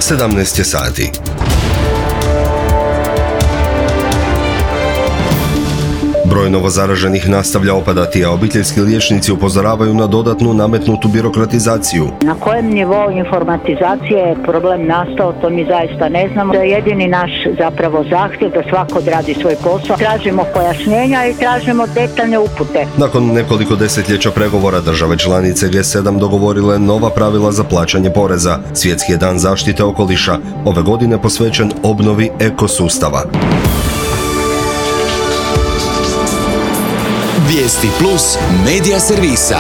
17 je sati. Broj novozaraženih nastavlja opadati, a obiteljski liječnici upozoravaju na dodatnu nametnutu birokratizaciju. Na kojem nivou informatizacije je problem nastao, to mi zaista ne znamo. To je jedini naš zapravo zahtjev da svako odradi svoj posao. Tražimo pojašnjenja i tražimo detaljne upute. Nakon nekoliko desetljeća pregovora države članice G7 dogovorile nova pravila za plaćanje poreza. Svjetski je dan zaštite okoliša, ove godine posvećen obnovi ekosustava. Vijesti plus medija servisa.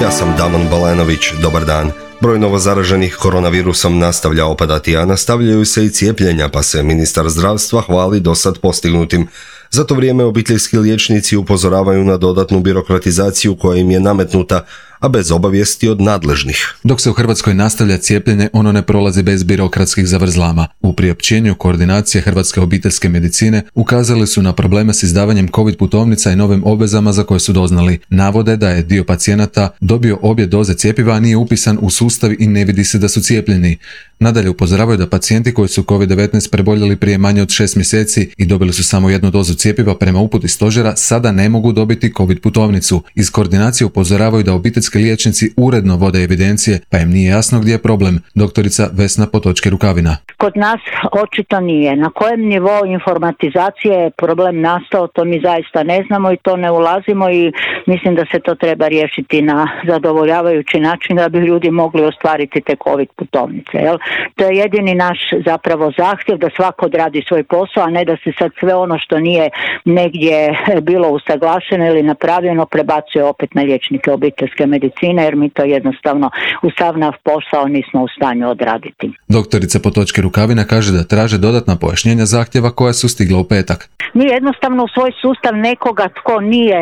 Ja sam Damon Balenović, dobar dan. Broj novozaraženih koronavirusom nastavlja opadati, a nastavljaju se i cijepljenja, pa se ministar zdravstva hvali dosad postignutim. Za to vrijeme obiteljski liječnici upozoravaju na dodatnu birokratizaciju koja im je nametnuta, a bez obavijesti od nadležnih. Dok se u Hrvatskoj nastavlja cijepljenje, ono ne prolazi bez birokratskih zavrzlama. U priopćenju koordinacije Hrvatske obiteljske medicine ukazali su na probleme s izdavanjem COVID putovnica i novim obvezama za koje su doznali. Navode da je dio pacijenata dobio obje doze cjepiva, a nije upisan u sustav i ne vidi se da su cijepljeni. Nadalje upozoravaju da pacijenti koji su COVID-19 preboljeli prije manje od 6 mjeseci i dobili su samo jednu dozu cjepiva prema uputi stožera, sada ne mogu dobiti COVID putovnicu. Iz koordinacije upozoravaju da obiteljski liječnici uredno vode evidencije, pa im nije jasno gdje je problem. Doktorica Vesna Potočki-Rukavina. Kod nas očito nije. Na kojem nivou informatizacije je problem nastao, to mi zaista ne znamo i to ne ulazimo i mislim da se to treba riješiti na zadovoljavajući način da bi ljudi mogli ostvariti te COVID putovnice. Jel? To je jedini naš zapravo zahtjev da svako odradi svoj posao, a ne da se sad sve ono što nije negdje bilo usaglašeno ili napravljeno prebacuje opet na liječnike obiteljske medicine, jer mi to jednostavno u sav naš posao nismo u stanju odraditi. Doktorica Potočki-Rukavina kaže da traže dodatna pojašnjenja zahtjeva koja su stigla u petak. Mi jednostavno u svoj sustav nekoga tko nije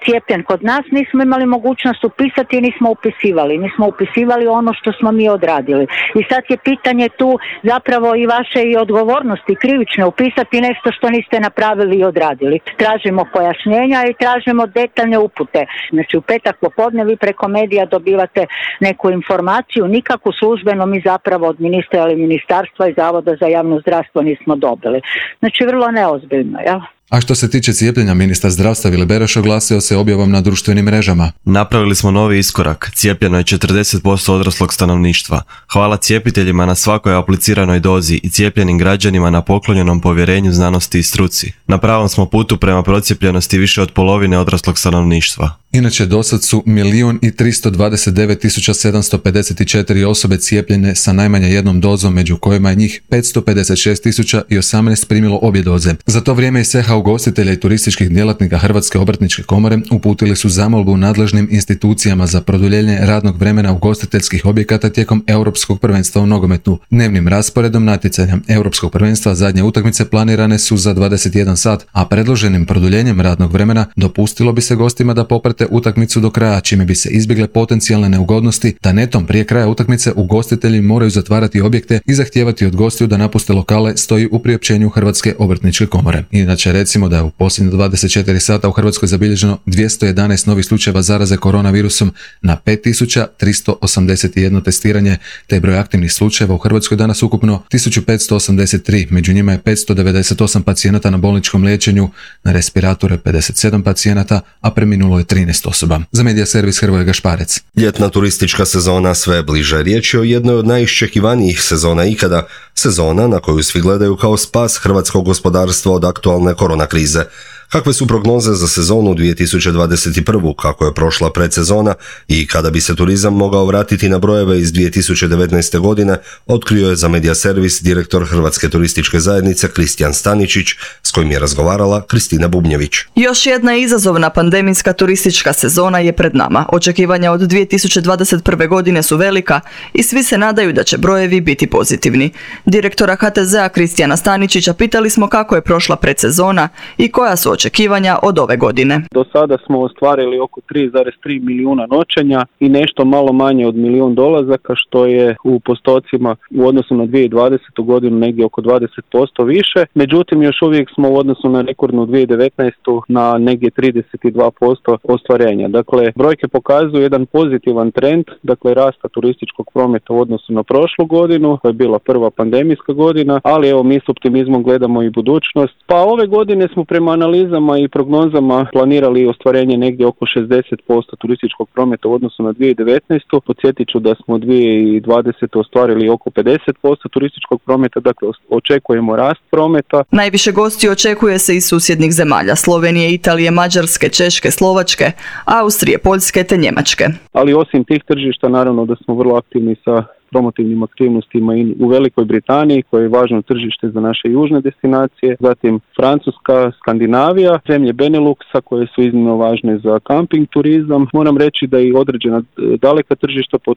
cijepljen kod nas nismo imali mogućnost upisati i nismo upisivali. Mi smo upisivali ono što smo mi odradili. I sad je pitanje tu zapravo i vaše i odgovornosti krivične upisati nešto što niste napravili i odradili. Tražimo pojašnjenja i tražimo detaljne upute. Znači u petak popodne vi preko medija dobivate neku informaciju, nikakvu službeno mi zapravo od ministra ili ministarstva i Zavoda za javno zdravstvo nismo dobili. Znači vrlo neozbiljno, jel? A što se tiče cijepljenja, ministar zdravstva Vili Beroš oglasio se objavom na društvenim mrežama. Napravili smo novi iskorak. Cijepljeno je 40% odraslog stanovništva. Hvala cijepiteljima na svakoj apliciranoj dozi i cijepljenim građanima na poklonjenom povjerenju znanosti i struci. Na pravom smo putu prema procijepljenosti više od polovine odraslog stanovništva. Inače, dosad su 1.329.754 osobe cijepljene sa najmanje jednom dozom, među kojima je njih 556.018 primilo obje doze. Za to vrijeme i ceha ugostitelja i turističkih djelatnika Hrvatske obrtničke komore uputili su zamolbu nadležnim institucijama za produljenje radnog vremena ugostiteljskih objekata tijekom Europskog prvenstva u nogometu. Dnevnim rasporedom natjecanja Europskog prvenstva zadnje utakmice planirane su za 21 sat, a predloženim produljenjem radnog vremena dopustilo bi se gostima da poprate utakmicu do kraja, čime bi se izbjegle potencijalne neugodnosti da netom prije kraja utakmice ugostitelji moraju zatvarati objekte i zahtijevati od gostiju da napuste lokale, stoji u priopćenju Hrvatske obrtničke komore. Inače, recimo da je u posljednjih 24 sata u Hrvatskoj zabilježeno 211 novih slučajeva zaraze koronavirusom na 5381 testiranje, te je broj aktivnih slučajeva u Hrvatskoj danas ukupno 1583, među njima je 598 pacijenata na bolničkom liječenju, na respiratoru je 57 pacijenata, a preminulo je 13 osoba. Za medija servis Hrvoje Gašparec. Ljetna turistička sezona sve bliže. Riječ je o jednoj od najiščekivanijih sezona ikada, sezona na koju svi gledaju kao spas hrvatskog gospodarstva od aktualne korona krize. Kakve su prognoze za sezonu 2021. kako je prošla predsezona i kada bi se turizam mogao vratiti na brojeve iz 2019. godine, otkrio je za medija servis direktor Hrvatske turističke zajednice Kristijan Staničić, s kojim je razgovarala Kristina Bubnjević. Još jedna izazovna pandemijska turistička sezona je pred nama. Očekivanja od 2021. godine su velika i svi se nadaju da će brojevi biti pozitivni. Direktora HTZ-a Kristijana Staničića pitali smo kako je prošla predsezona i koja su očekivanja od ove godine. Do sada smo ostvarili oko 3,3 milijuna noćenja i nešto malo manje od milijun dolazaka, što je u postocima u odnosu na 2020. godinu negdje oko 20% više. Međutim, još uvijek smo u odnosu na rekordnu 2019. na negdje 32% ostvarenja. Dakle, brojke pokazuju jedan pozitivan trend, dakle rasta turističkog prometa u odnosu na prošlu godinu, to je bila prva pandemijska godina, ali evo mi s optimizmom gledamo i budućnost. Pa ove godine smo prema analizama i prognozama planirali ostvarenje negdje oko 60% turističkog prometa u odnosu na 2019. Podsjetit ću da smo 2020. ostvarili oko 50% turističkog prometa, dakle očekujemo rast prometa. Najviše gostiju očekuje se iz susjednih zemalja, Slovenije, Italije, Mađarske, Češke, Slovačke, Austrije, Poljske te Njemačke. Ali osim tih tržišta naravno da smo vrlo aktivni sa promotivnim aktivnostima i u Velikoj Britaniji, koje je važno tržište za naše južne destinacije, zatim Francuska, Skandinavija, zemlje Beneluxa koje su iznimno važne za kamping turizam. Moram reći da i određena daleka tržišta pod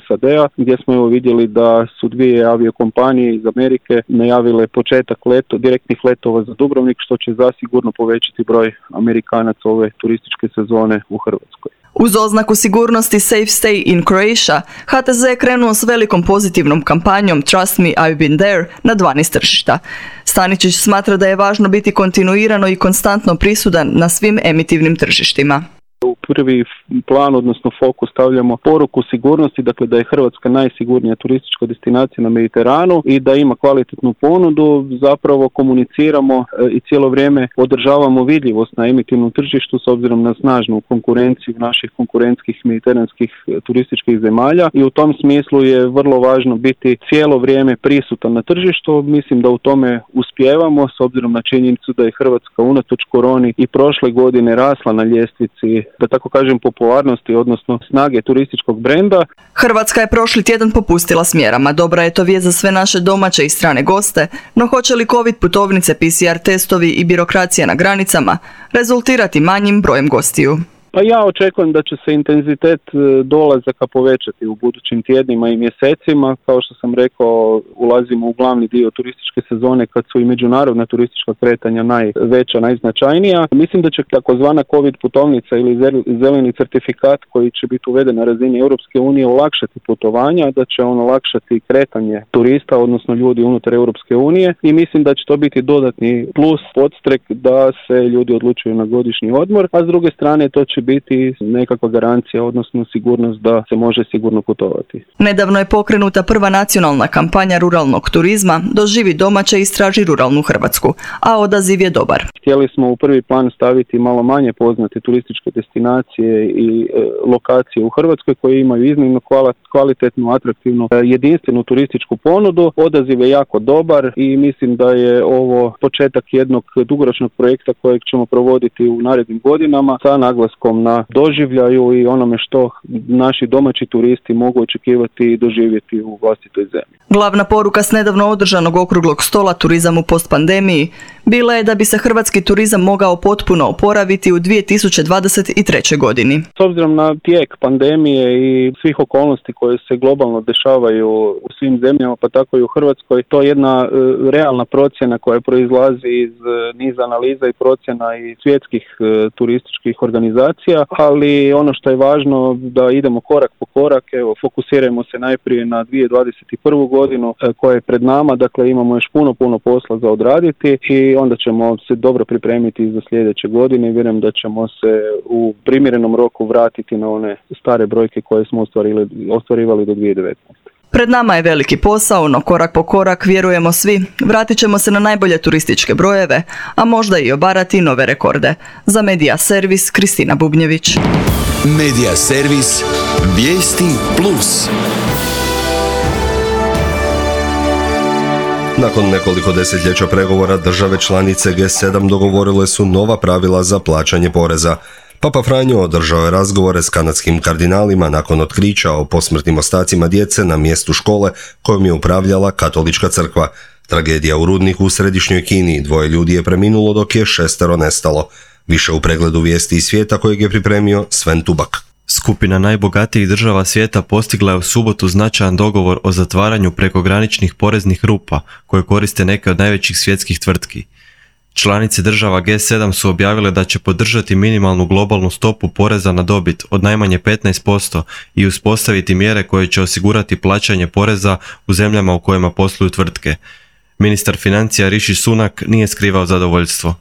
SAD-a, gdje smo evo vidjeli da su dvije aviokompanije iz Amerike najavile početak direktnih letova za Dubrovnik, što će zasigurno povećati broj Amerikanaca ove turističke sezone u Hrvatskoj. Uz oznaku sigurnosti Safe Stay in Croatia, HTZ je krenuo s velikom pozitivnom kampanjom Trust me, I've been there na 12 tržišta. Staničić smatra da je važno biti kontinuirano i konstantno prisutan na svim emitivnim tržištima. U prvi plan, odnosno fokus, stavljamo poruku sigurnosti, dakle da je Hrvatska najsigurnija turistička destinacija na Mediteranu i da ima kvalitetnu ponudu. Zapravo komuniciramo i cijelo vrijeme održavamo vidljivost na emitivnom tržištu s obzirom na snažnu konkurenciju naših konkurentskih mediteranskih turističkih zemalja i u tom smislu je vrlo važno biti cijelo vrijeme prisutan na tržištu. Mislim da u tome uspijevamo s obzirom na činjenicu da je Hrvatska unatoč koroni i prošle godine rasla na ljestvici, da tako kažem, popularnosti, odnosno snage turističkog brenda. Hrvatska je prošli tjedan popustila s mjerama. Dobra je to vijest za sve naše domaće i strane goste, no hoće li COVID putovnice, PCR testovi i birokracija na granicama rezultirati manjim brojem gostiju? Pa ja očekujem da će se intenzitet dolazaka povećati u budućim tjednima i mjesecima. Kao što sam rekao, ulazimo u glavni dio turističke sezone kad su i međunarodna turistička kretanja najveća, najznačajnija. Mislim da će takozvana COVID putovnica ili zeleni certifikat koji će biti uveden na razini Europske unije olakšati putovanja, da će on olakšati kretanje turista, odnosno ljudi unutar Europske unije i mislim da će to biti dodatni plus, podstrek da se ljudi odlučuju na godišnji odmor, a s druge strane to će biti nekakva garancija, odnosno sigurnost da se može sigurno putovati. Nedavno je pokrenuta prva nacionalna kampanja ruralnog turizma Doživi domaće i istraži ruralnu Hrvatsku, a odaziv je dobar. Htjeli smo u prvi plan staviti malo manje poznate turističke destinacije i lokacije u Hrvatskoj koje imaju iznimno kvalitetnu, atraktivnu, jedinstvenu turističku ponudu. Odaziv je jako dobar i mislim da je ovo početak jednog dugoročnog projekta kojeg ćemo provoditi u narednim godinama sa naglaskom na doživljaju i onome što naši domaći turisti mogu očekivati i doživjeti u vlastitoj zemlji. Glavna poruka s nedavno održanog okruglog stola Turizam u postpandemiji bila je da bi se hrvatski turizam mogao potpuno oporaviti u 2023. godini. S obzirom na tijek pandemije i svih okolnosti koje se globalno dešavaju u svim zemljama, pa tako i u Hrvatskoj, to je jedna realna procjena koja proizlazi iz niza analiza i procjena i svjetskih turističkih organizacija, ali ono što je važno da idemo korak po korak, evo, fokusirajmo se najprije na 2021. godinu koja je pred nama, dakle imamo još puno posla za odraditi i onda ćemo se dobro pripremiti za sljedeće godine i vjerujem da ćemo se u primjerenom roku vratiti na one stare brojke koje smo ostvarivali do 2019. Pred nama je veliki posao, no korak po korak, vjerujemo svi, vratit ćemo se na najbolje turističke brojeve, a možda i obarati nove rekorde. Za Medija Servis, Kristina Bubnjević. Medija Servis, vijesti plus. Nakon nekoliko desetljeća pregovora države članice G7 dogovorile su nova pravila za plaćanje poreza. Papa Franjo održao je razgovore s kanadskim kardinalima nakon otkrića o posmrtnim ostacima djece na mjestu škole kojom je upravljala katolička crkva. Tragedija u Rudniku u središnjoj Kini, 2 ljudi je preminulo dok je 6 nestalo. Više u pregledu vijesti iz svijeta kojeg je pripremio Sven Tubak. Skupina najbogatijih država svijeta postigla je u subotu značajan dogovor o zatvaranju prekograničnih poreznih rupa koje koriste neke od najvećih svjetskih tvrtki. Članice država G7 su objavile da će podržati minimalnu globalnu stopu poreza na dobit od najmanje 15% i uspostaviti mjere koje će osigurati plaćanje poreza u zemljama u kojima posluju tvrtke. Ministar financija Rishi Sunak nije skrivao zadovoljstvo.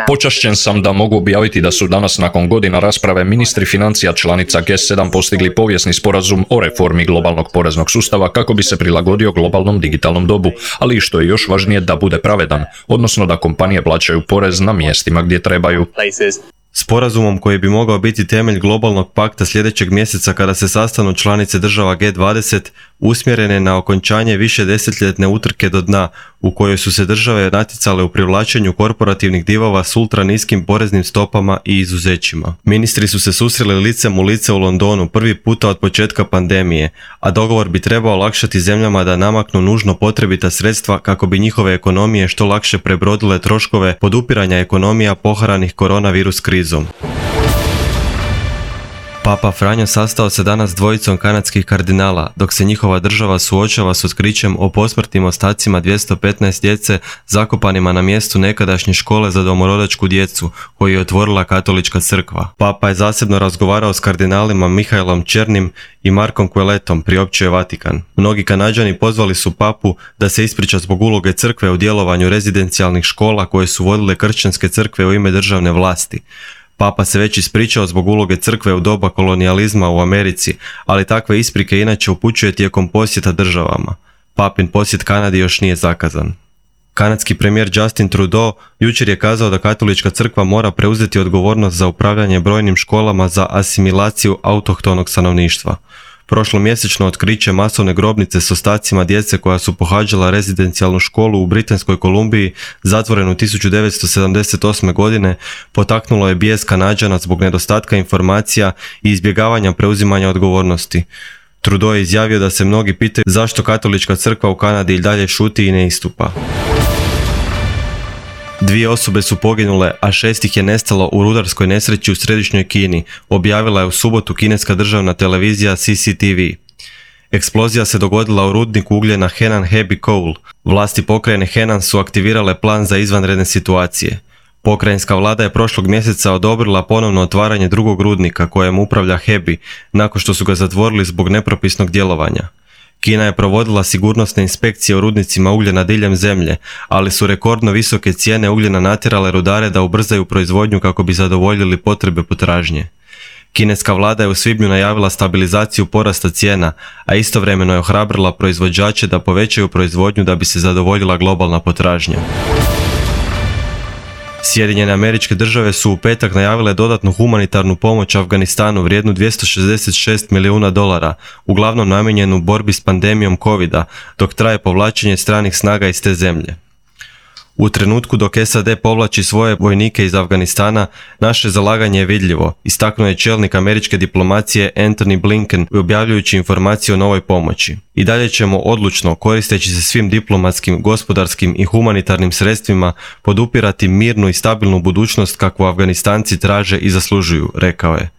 Počašćen sam da mogu objaviti da su danas nakon godina rasprave ministri financija članica G7 postigli povijesni sporazum o reformi globalnog poreznog sustava kako bi se prilagodio globalnom digitalnom dobu, ali i što je još važnije da bude pravedan, odnosno da kompanije plaćaju porez na mjestima gdje trebaju. Sporazumom koji bi mogao biti temelj globalnog pakta sljedećeg mjeseca kada se sastanu članice država G20 usmjerene na okončanje višedesetljetne utrke do dna u kojoj su se države natjecale u privlačenju korporativnih divova s ultra niskim poreznim stopama i izuzećima. Ministri su se susreli licem u lice u Londonu prvi puta od početka pandemije, a dogovor bi trebao olakšati zemljama da namaknu nužno potrebita sredstva kako bi njihove ekonomije što lakše prebrodile troškove podupiranja ekonomija poharanih koronavirus krizom. Papa Franjo sastao se danas s dvojicom kanadskih kardinala, dok se njihova država suočava s otkrićem o posmrtnim ostacima 215 djece zakopanima na mjestu nekadašnje škole za domorodačku djecu, koju je otvorila katolička crkva. Papa je zasebno razgovarao s kardinalima Mihaelom Černim i Markom Queletom, priopćio je Vatikan. Mnogi Kanađani pozvali su papu da se ispriča zbog uloge crkve u djelovanju rezidencijalnih škola koje su vodile kršćanske crkve u ime državne vlasti. Papa se već ispričao zbog uloge crkve u doba kolonijalizma u Americi, ali takve isprike inače upućuje tijekom posjeta državama. Papin posjet Kanadi još nije zakazan. Kanadski premijer Justin Trudeau jučer je kazao da katolička crkva mora preuzeti odgovornost za upravljanje brojnim školama za asimilaciju autohtonog stanovništva. Prošlomjesečno otkriće masovne grobnice s ostacima djece koja su pohađala rezidencijalnu školu u Britanskoj Kolumbiji, zatvorenu 1978. godine, potaknulo je bijes Kanađana zbog nedostatka informacija i izbjegavanja preuzimanja odgovornosti. Trudeau je izjavio da se mnogi pitaju zašto katolička crkva u Kanadi i dalje šuti i ne istupa. 2 osobe su poginule, a 6 ih je nestalo u rudarskoj nesreći u središnjoj Kini, objavila je u subotu kineska državna televizija CCTV. Eksplozija se dogodila u rudniku ugljena Henan Heavy Coal. Vlasti pokrajine Henan su aktivirale plan za izvanredne situacije. Pokrajinska vlada je prošlog mjeseca odobrila ponovno otvaranje drugog rudnika kojem upravlja Hebi, nakon što su ga zatvorili zbog nepropisnog djelovanja. Kina je provodila sigurnosne inspekcije u rudnicima ugljena diljem zemlje, ali su rekordno visoke cijene ugljena natjerale rudare da ubrzaju proizvodnju kako bi zadovoljili potrebe potražnje. Kineska vlada je u svibnju najavila stabilizaciju porasta cijena, a istovremeno je ohrabrila proizvođače da povećaju proizvodnju da bi se zadovoljila globalna potražnja. Sjedinjene Američke Države su u petak najavile dodatnu humanitarnu pomoć Afganistanu vrijednu $266 milijuna, uglavnom namijenjenu borbi s pandemijom covida, dok traje povlačenje stranih snaga iz te zemlje. U trenutku dok SAD povlači svoje vojnike iz Afganistana, naše zalaganje je vidljivo, istaknuo je čelnik američke diplomacije Antony Blinken objavljujući informacije o novoj pomoći. I dalje ćemo odlučno, koristeći se svim diplomatskim, gospodarskim i humanitarnim sredstvima, podupirati mirnu i stabilnu budućnost kakvu Afganistanci traže i zaslužuju, rekao je.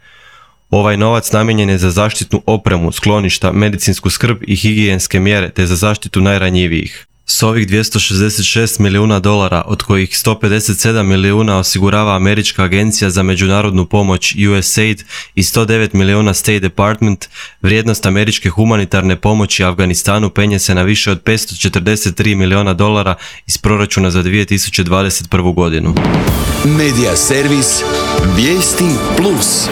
Ovaj novac namijenjen je za zaštitnu opremu, skloništa, medicinsku skrb i higijenske mjere te za zaštitu najranjivijih. S ovih $266 milijuna, od kojih 157 milijuna osigurava Američka agencija za međunarodnu pomoć USAID i 109 milijuna State Department, vrijednost američke humanitarne pomoći Afganistanu penje se na više od $543 milijuna iz proračuna za 2021. godinu. Medija servis Vijesti Plus.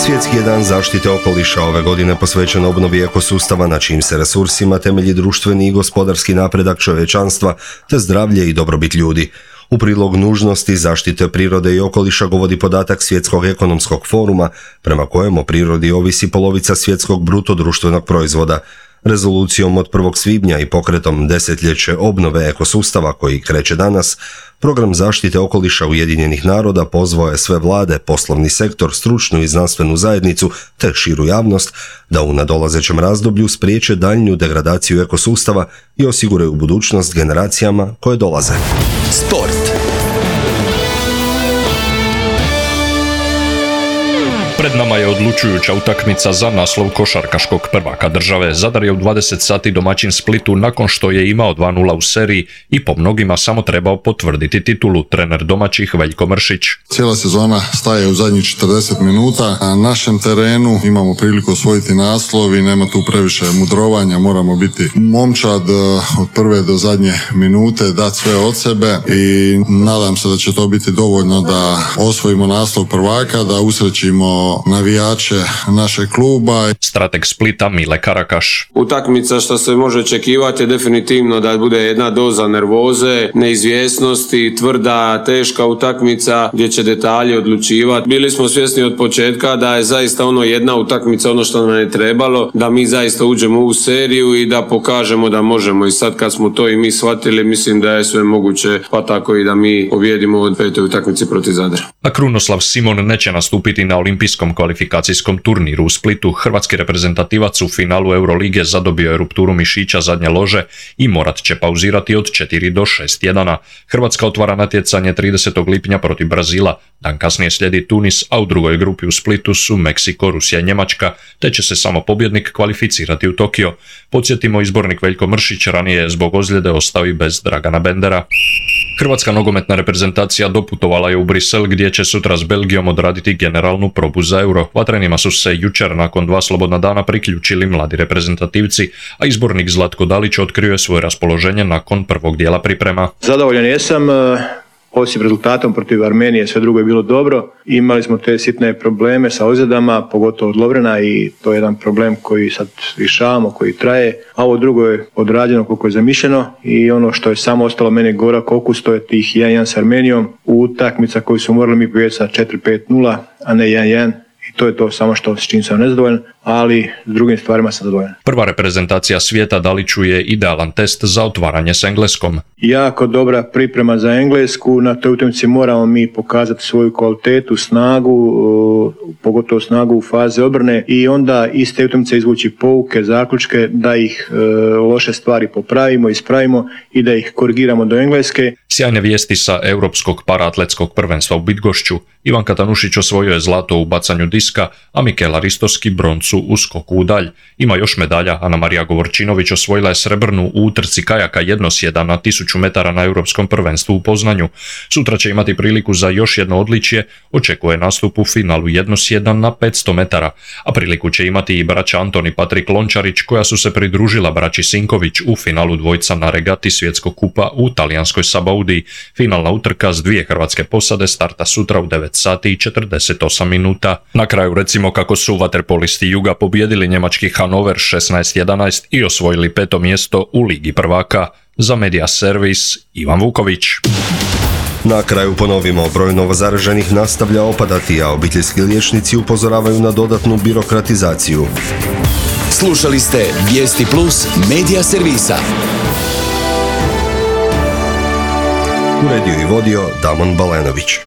Svjetski je dan zaštite okoliša ove godine posvećen obnovi ekosustava na čijim se resursima temelji društveni i gospodarski napredak čovječanstva te zdravlje i dobrobit ljudi. U prilog nužnosti zaštite prirode i okoliša govori podatak Svjetskog ekonomskog foruma prema kojem o prirodi ovisi polovica svjetskog bruto društvenog proizvoda. Rezolucijom od 1. svibnja i pokretom desetljeće obnove ekosustava koji kreće danas, program zaštite okoliša Ujedinjenih naroda pozvao je sve vlade, poslovni sektor, stručnu i znanstvenu zajednicu te širu javnost da u nadolazećem razdoblju spriječe daljnju degradaciju ekosustava i osiguraju budućnost generacijama koje dolaze. Sport. Pred nama je odlučujuća utakmica za naslov košarkaškog prvaka države. Zadar je u 20 sati domaćin Splitu nakon što je imao 2:0 u seriji i po mnogima samo trebao potvrditi titulu, trener domaćih Veljko Mršić. Cijela sezona staje u zadnjih 40 minuta. Na našem terenu imamo priliku osvojiti naslov i nema tu previše mudrovanja. Moramo biti momčad od prve do zadnje minute, dati sve od sebe i nadam se da će to biti dovoljno da osvojimo naslov prvaka, da usrećimo navijače našeg kluba. Strateg Splita Mile Karakaš. Utakmica što se može očekivati je definitivno da bude jedna doza nervoze, neizvjesnosti, tvrda, teška utakmica gdje će detalji odlučivati. Bili smo svjesni od početka da je zaista jedna utakmica ono što nam je trebalo, da mi zaista uđemo u seriju i da pokažemo da možemo. I sad kad smo to i mi shvatili, mislim da je sve moguće, pa tako i da mi pobjedimo od 5. utakmici protiv Zadra. A Krunoslav Simon neće nastupiti na olimpijskom kvalifikacijskom turniru u Splitu. Hrvatski reprezentativac u finalu Eurolige zadobio je rupturu mišića zadnje lože i morat će pauzirati od 4 do 6 tjedana. Hrvatska otvara natjecanje 30. lipnja protiv Brazila. Dan kasnije slijedi Tunis, a u drugoj grupi u Splitu su Meksiko, Rusija i Njemačka, te će se samo pobjednik kvalificirati u Tokio. Podsjetimo, izbornik Veljko Mršić ranije je zbog ozljede ostao i bez Dragana Bendera. Hrvatska nogometna reprezentacija doputovala je u Brisel gdje će sutra s Belgijom odraditi generalnu probu za Euro. Vatrenima su se jučer nakon 2 slobodna dana priključili mladi reprezentativci, a izbornik Zlatko Dalić otkrio je svoje raspoloženje nakon prvog dijela priprema. Zadovoljan jesam. Osim rezultatom protiv Armenije, sve drugo je bilo dobro. Imali smo te sitne probleme sa ozljedama, pogotovo od Lovrena, i to je jedan problem koji sad rješavamo, koji traje. A ovo drugo je odrađeno koliko je zamišljeno i ono što je samo ostalo meni gorak okus, to je tih 1-1 s Armenijom. Utakmica koju su morali mi pobijediti sa 4-5-0, a ne 1-1. I to je to samo što s čim sam nezadovoljan, ali s drugim stvarima sam zadovoljan. Prva reprezentacija svijeta Daliću je idealan test za otvaranje s Engleskom. Jako dobra priprema za Englesku, na toj utakmici moramo mi pokazati svoju kvalitetu, snagu, pogotovo snagu u fazi obrane i onda iz te utakmice izvući pouke, zaključke, da ih loše stvari popravimo, ispravimo i da ih korigiramo do Engleske. Sjajne vijesti sa Europskog paraatletskog prvenstva u Bydgošću. Ivan Katanušić osvojio je zlato u bacanju diska, a Mikela Ristoski broncu u skoku u dalj. Ima još medalja. Ana Marija Govorčinović osvojila je srebrnu u utrci kajaka jednosjeda na 1000 metara na Europskom prvenstvu u Poznanju. Sutra će imati priliku za još jedno odličje, očekuje nastup u finalu jednosjeda na 500 metara, a priliku će imati i braća Antoni Patrik Lončarić, koja su se pridružila braći Sinković u finalu dvojca na regati svjetskog kupa u talijanskoj Sabaudiji. Finalna utrka s 2 hrvatske posade starta sutra u 9 sati i 48 minuta. Na kraju recimo kako su vaterpolisti Juga pobijedili njemački Hannover 16-11 i osvojili 5. mjesto u Ligi prvaka. Za Media Servis, Ivan Vuković. Na kraju ponovimo, broj novozaraženih nastavlja opadati, a obiteljski liječnici upozoravaju na dodatnu birokratizaciju. Slušali ste Vijesti Plus Media Servisa. Uredio i vodio Damon Balenović.